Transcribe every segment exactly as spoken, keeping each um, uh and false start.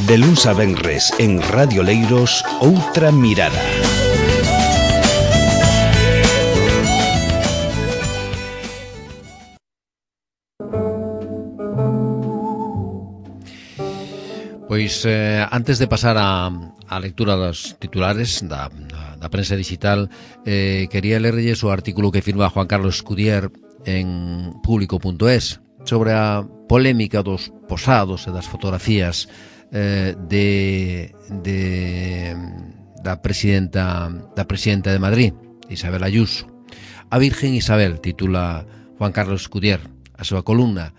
De luns a venres en Radio Leiros, Outra Mirada. Pois eh, antes de pasar a, a lectura dos titulares da, da, da prensa digital, eh, quería lerlles o artículo que firma Juan Carlos Escudier en público punto es sobre a polémica dos posados e das fotografías eh, de, de da presidenta da presidenta de Madrid, Isabel Ayuso. A Virgen Isabel, titula Juan Carlos Escudier a súa columna,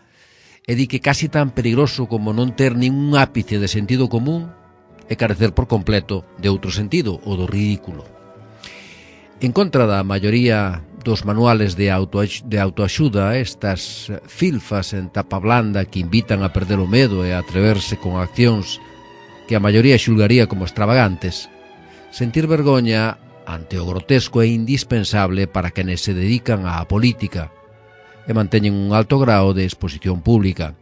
e di que casi tan perigoso como non ter ningún ápice de sentido común é carecer por completo de outro sentido, o do ridículo. En contra da maioría dos manuales de, auto, de autoaxuda, estas filfas en tapa blanda que invitan a perder o medo e a atreverse con accións que a maioría xulgaría como extravagantes, sentir vergoña ante o grotesco é indispensable para quenes se dedican á política e manteñen un alto grao de exposición pública.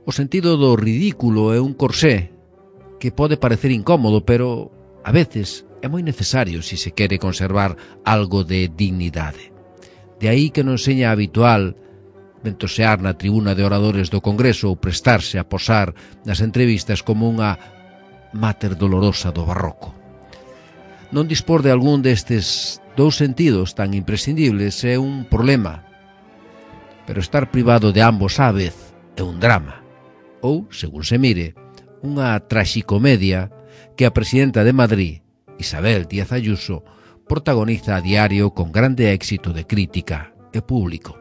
O sentido do ridículo é un corsé que pode parecer incómodo, pero a veces é moi necesario se se quere conservar algo de dignidade. De aí que non seña habitual ventosear na tribuna de oradores do Congreso ou prestarse a posar nas entrevistas como unha máter dolorosa do barroco. Non dispor de algún destes dous sentidos tan imprescindibles é un problema, pero estar privado de ambos á vez é un drama, ou, según se mire, unha traxicomedia que a presidenta de Madrid, Isabel Díaz Ayuso, protagoniza a diario con grande éxito de crítica e público.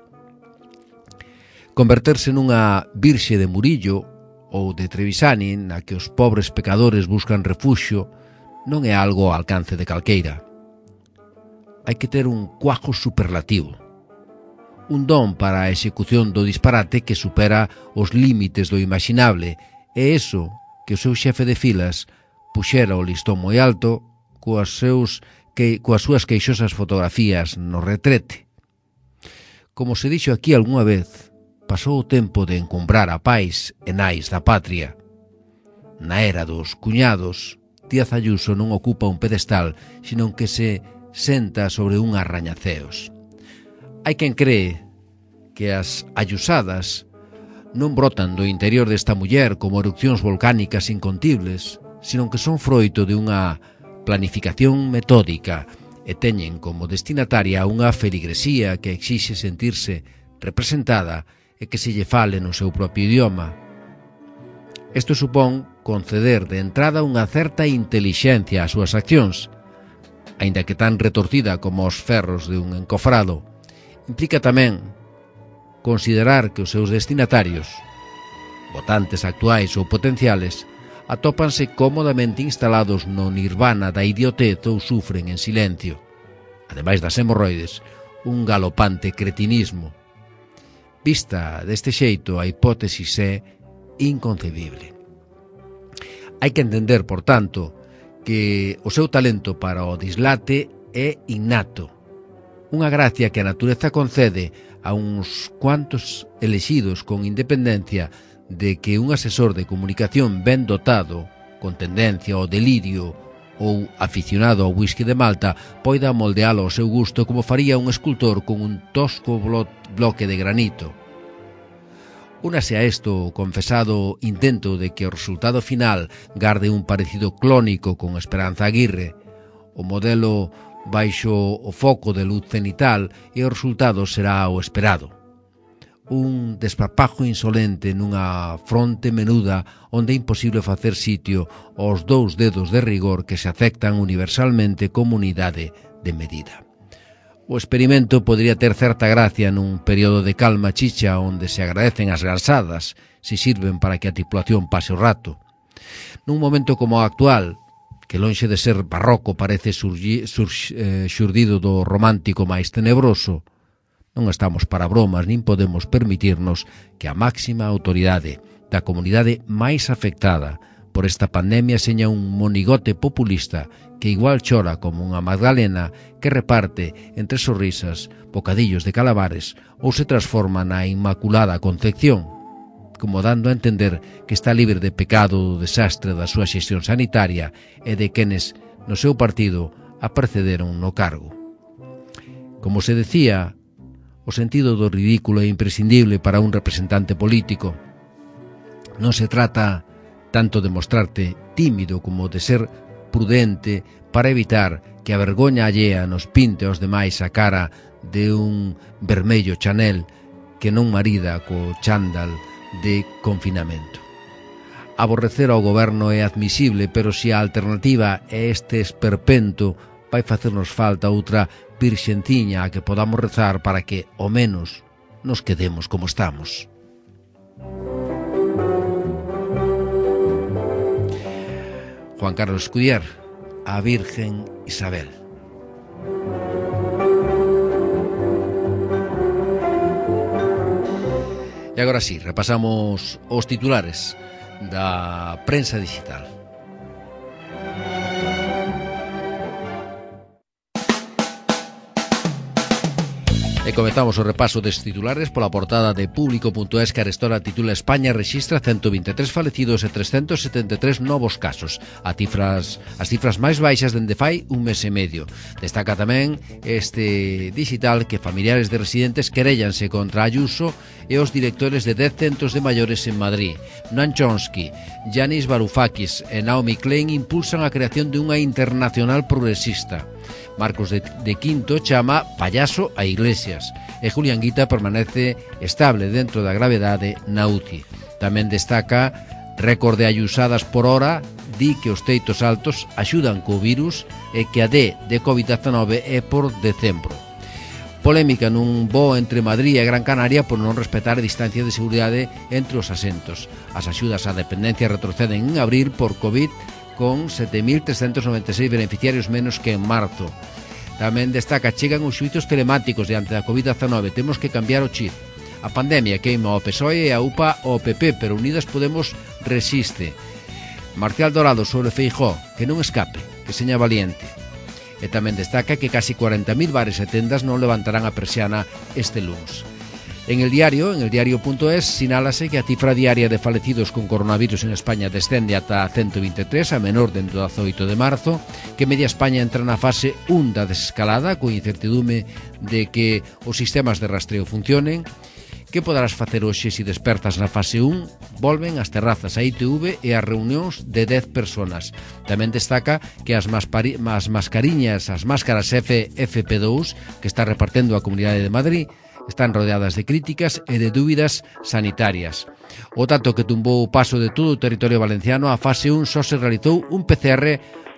Converterse nunha virxe de Murillo ou de Trevisani na que os pobres pecadores buscan refuxio non é algo ao alcance de calqueira. Hai que ter un cuajo superlativo, un don para a execución do disparate que supera os límites do imaginable, e iso que o seu xefe de filas puxera o listón moi alto coas, seus, que, coas súas queixosas fotografías no retrete. Como se dixo aquí algunha vez, pasou o tempo de encumbrar a pais e nais da patria. Na era dos cuñados, Díaz Ayuso non ocupa un pedestal, sino que se senta sobre un arrañaceos. Hai quen cree que as ayusadas non brotan do interior desta muller como erupcións volcánicas incontibles, sino que son froito de unha planificación metódica e teñen como destinataria unha feligresía que exixe sentirse representada e que se lle fale no seu propio idioma. Isto supón conceder de entrada unha certa intelixencia ás súas accións, aínda que tan retorcida como os ferros de un encofrado. Implica tamén considerar que os seus destinatarios, votantes actuais ou potenciales, atópanse cómodamente instalados no nirvana da idiotez ou sufren en silencio, ademais das hemorroides, un galopante cretinismo. Vista deste xeito, a hipótesis é inconcebible. Hai que entender, por tanto, que o seu talento para o dislate é innato, unha gracia que a natureza concede a uns cuantos elexidos con independencia de que un asesor de comunicación ben dotado, con tendencia ao delirio ou aficionado ao whisky de Malta, poida moldealo ao seu gusto como faría un escultor con un tosco blo- bloque de granito. Únase a isto o confesado intento de que o resultado final garde un parecido clónico con Esperanza Aguirre, o modelo baixo o foco de luz cenital, e o resultado será o esperado. Un desparpajo insolente nunha fronte menuda onde é imposible facer sitio aos dous dedos de rigor que se aceptan universalmente como unidade de medida. O experimento podría ter certa gracia nun período de calma chicha onde se agradecen as garzadas se sirven para que a tripulación pase o rato. Nun momento como o actual, que lonxe de ser barroco parece surgi, sur, eh, xurdido do romántico máis tenebroso, non estamos para bromas nin podemos permitirnos que a máxima autoridade da comunidade máis afectada por esta pandemia seña un monigote populista que igual chora como unha Magdalena que reparte entre sorrisas bocadillos de calamares ou se transforma na Inmaculada Concepción, como dando a entender que está libre de pecado do desastre da súa xestión sanitaria e de quenes no seu partido a precederon no cargo. Como se decía, o sentido do ridículo é imprescindible para un representante político. Non se trata tanto de mostrarte tímido como de ser prudente para evitar que a vergoña allea nos pinte aos demais a cara de un vermello Chanel que non marida co chándal de confinamento. Aborrecer ao goberno é admisible, pero se a alternativa é este esperpento, vai facernos falta outra virxenciña a que podamos rezar para que, ao menos, nos quedemos como estamos. Juan Carlos Escudier, a Virgen Isabel. E agora sí, repasamos os titulares da prensa digital. E comezamos o repaso des titulares pola portada de Público punto es, que arestora titula España rexistra ciento vinte e tres falecidos e trescentos setenta e tres novos casos, a cifras, as cifras máis baixas dende fai un mes e medio. Destaca tamén este digital que familiares de residentes queréllanse contra Ayuso e os directores de dez centros de maiores en Madrid. Noam Chomsky, Yanis Varoufakis e Naomi Klein impulsan a creación de unha internacional progresista. Marcos de, de Quinto chama payaso a Iglesias e Julián Guita permanece estable dentro da gravedade na U C I. Tamén destaca récord de ayusadas por hora, di que os teitos altos axudan co virus e que a D de covid dezenove é por decembro. Polémica nun voo entre Madrid e Gran Canaria por non respetar a distancia de seguridade entre os asentos. As axudas á dependencia retroceden en abril por Covid, con sete mil trescentos noventa e seis beneficiarios menos que en marzo. Tamén destaca, chegan os xuizos telemáticos diante da covid dezenove, temos que cambiar o chip. A pandemia queima o P S O E e a U P A o P P, pero Unidas Podemos resiste. Marcial Dorado sobre Feijóo, que non escape, que seña valiente. E tamén destaca que casi cuarenta mil bares e tendas non levantarán a persiana este luns. En el diario, en el diario punto es, sinálase que a cifra diaria de falecidos con coronavirus en España descende ata ciento vinte e tres, a menor dentro do dezoito de marzo, que media España entra na fase un da desescalada, con incertidume de que os sistemas de rastreo funcionen. Que poderás facer hoxe se despertas na fase un? Volven as terrazas, a I T V e as reunións de dez personas. Tamén destaca que as, maspari, as mascariñas, as máscaras F F P dous, que está repartendo a Comunidade de Madrid, están rodeadas de críticas e de dúbidas sanitarias. O dato que tumbou o paso de todo o territorio valenciano, a fase un só se realizou un P C R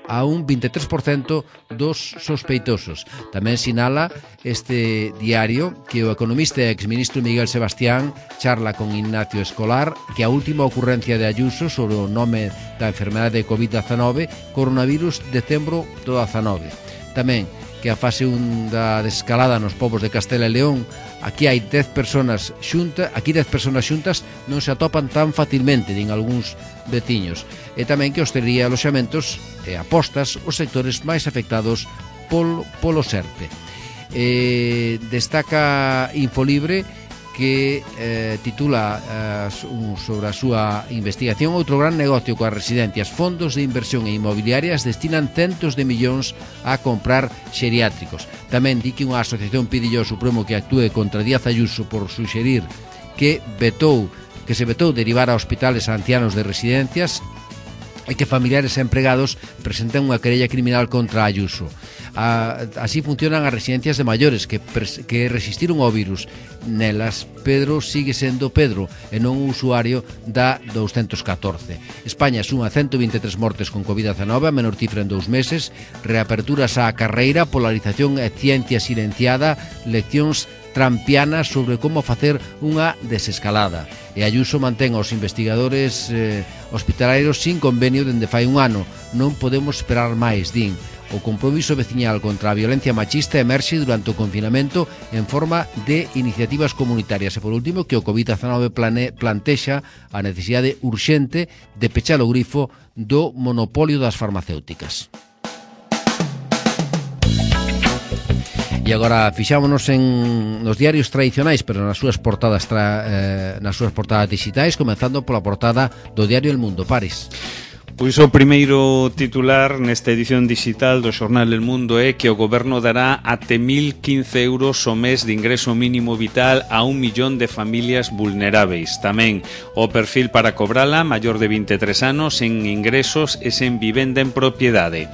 a un vinte e tres por cento dos sospeitosos. Tamén sinala este diario que o economista e exministro Miguel Sebastián charla con Ignacio Escolar que a última ocurrencia de Ayuso sobre o nome da enfermedade de covid dezenove, coronavirus decembro do dezenove. Tamén que a fase un da desescalada nos povos de Castela e León, aquí hai dez personas xuntas, aquí dez personas xuntas non se atopan tan facilmente, din algúns veciños. E tamén que hostelería e aloxamentos e apostas os sectores máis afectados polo, polo SERTE. E destaca Infolibre que eh, titula eh, sobre a súa investigación outro gran negocio coas residencias. Fondos de inversión e inmobiliarias destinan centos de millóns a comprar xeriátricos. Tamén di que unha asociación pide ao Supremo que actúe contra Díaz Ayuso por suxerir que vetou que se vetou derivar a hospitales a ancianos de residencias e que familiares e empregados presenten unha querella criminal contra Ayuso. A, así funcionan as residencias de maiores que, que resistiron ao virus. Nelas, Pedro sigue sendo Pedro e non un usuario da doscientos catorce. España suma ciento vinte e tres mortes con covid dezenove, a menor cifra en dous meses, reaperturas á carreira, polarización e ciencia silenciada, leccións trampianas sobre como facer unha desescalada. E Ayuso mantén aos investigadores eh, hospitalarios sin convenio dende fai un ano. Non podemos esperar máis, din. O compromiso veciñal contra a violencia machista emerxe durante o confinamento en forma de iniciativas comunitarias. E por último, que o covid dezenove plane, plantexa a necesidade urxente de pechar o grifo do monopolio das farmacéuticas. E E agora fixámonos en nos diarios tradicionais, pero nas súas portadas tra, eh, nas súas portadas digitais, comenzando pola portada do diario El Mundo. Paris. Pois o primeiro titular nesta edición digital do xornal El Mundo é que o goberno dará até mil quince euros o mes de ingreso mínimo vital a un millón de familias vulneráveis. Tamén o perfil para cobrala, maior de vinte e tres anos, en ingresos e sen vivenda en propiedade.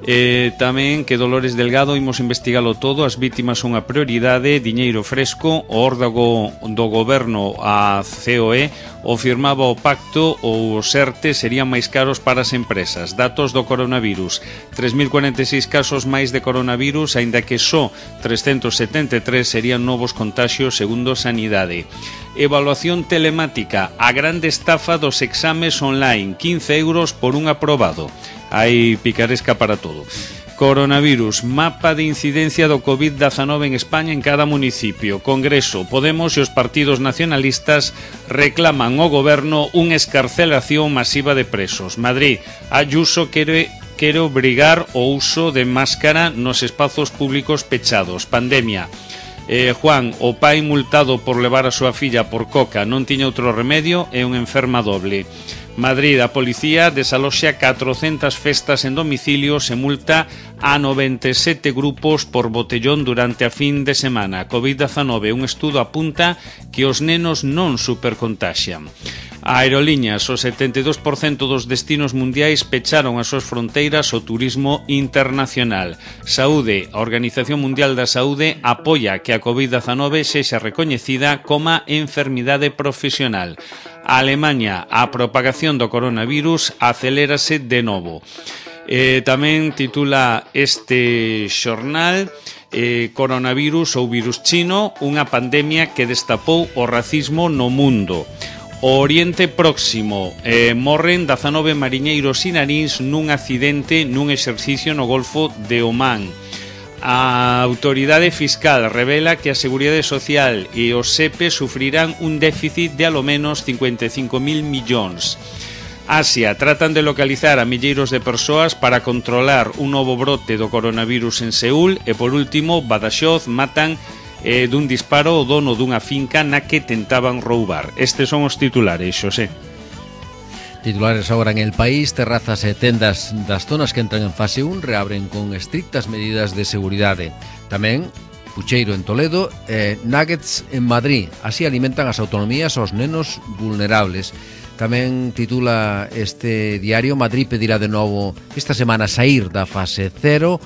Eh, tamén que Dolores Delgado imos investigalo todo, as vítimas son a prioridade, diñeiro fresco, o órdago do goberno a C O E o firmaba o pacto ou os ERTE serían máis caros para as empresas. Datos do coronavirus, tres mil cuarenta e seis casos máis de coronavirus, aínda que só trescentos setenta e tres serían novos contaxios segundo Sanidade. Evaluación telemática, a grande estafa dos exames online, quince euros por un aprobado. Hai picaresca para todo. Coronavirus, mapa de incidencia do covid diecinueve en España en cada municipio. Congreso, Podemos e os partidos nacionalistas reclaman ao goberno unha escarcelación masiva de presos. Madrid, Ayuso quere quere obrigar o uso de máscara nos espazos públicos pechados. Pandemia. Eh, Juan, o pai multado por levar a súa filla por coca, non tiña outro remedio, é unha enferma doble. Madrid, a policía desaloxa catrocentas festas en domicilios e multa a noventa e sete grupos por botellón durante a fin de semana. covid diecinueve, un estudo apunta que os nenos non supercontaxian. Aerolíneas, o setenta e dous por cento dos destinos mundiais pecharon as súas fronteiras ao turismo internacional. Saúde, a Organización Mundial da Saúde apoia que a covid diecinueve sexa recoñecida como enfermidade profesional. A Alemanha, a propagación do coronavirus acelérase de novo. Eh, tamén titula este xornal eh, Coronavirus ou virus chino, unha pandemia que destapou o racismo no mundo. O Oriente Próximo, eh, morren dezanove mariñeiros iraníns nun accidente nun exercicio no Golfo de Omán. A autoridade fiscal revela que a Seguridade Social e o S E P E sufrirán un déficit de alo menos cincuenta e cinco mil millóns. Asia, tratan de localizar a milleiros de persoas para controlar un novo brote do coronavirus en Seúl e, por último, Badaxoz matan eh, dun disparo o dono dunha finca na que tentaban roubar. Estes son os titulares, Xosé. Titulares agora en El País. Terrazas e tendas das zonas que entran en fase un reabren con estrictas medidas de seguridade. Tamén Pucheiro en Toledo e Nuggets en Madrid. Así alimentan as autonomías aos nenos vulnerables. Tamén titula este diario: Madrid pedirá de novo esta semana sair da fase cero,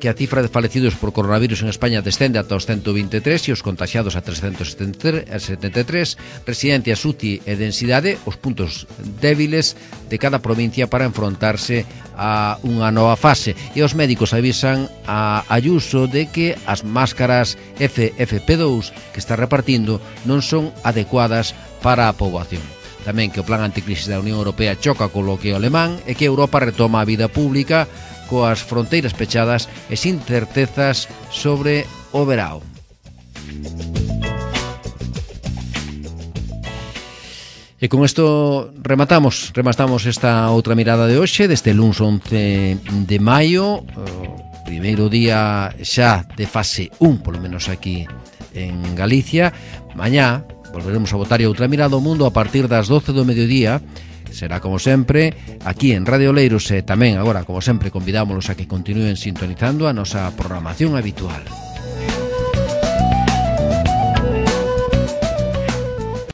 que a cifra de falecidos por coronavirus en España descende ata os ciento vinte e tres e os contaxiados a trescentos setenta e tres. Residencias, U C I e densidade, os puntos débiles de cada provincia para enfrontarse a unha nova fase. E os médicos avisan a Ayuso de que as máscaras F F P dous que está repartindo non son adecuadas para a poboación. Tamén que o plan anticrisis da Unión Europea choca co bloqueo alemán e que Europa retoma a vida pública coas fronteiras pechadas e sin certezas sobre o verao. E con isto rematamos, rematamos esta outra mirada de hoxe, deste luns once de maio, o primeiro día xa de fase un, polo menos aquí en Galicia. Mañá volveremos a botar outra mirada ao mundo a partir das doce do mediodía. Será como sempre aquí en Radio Leiros e tamén agora como sempre convidámolos a que continúen sintonizando a nosa programación habitual.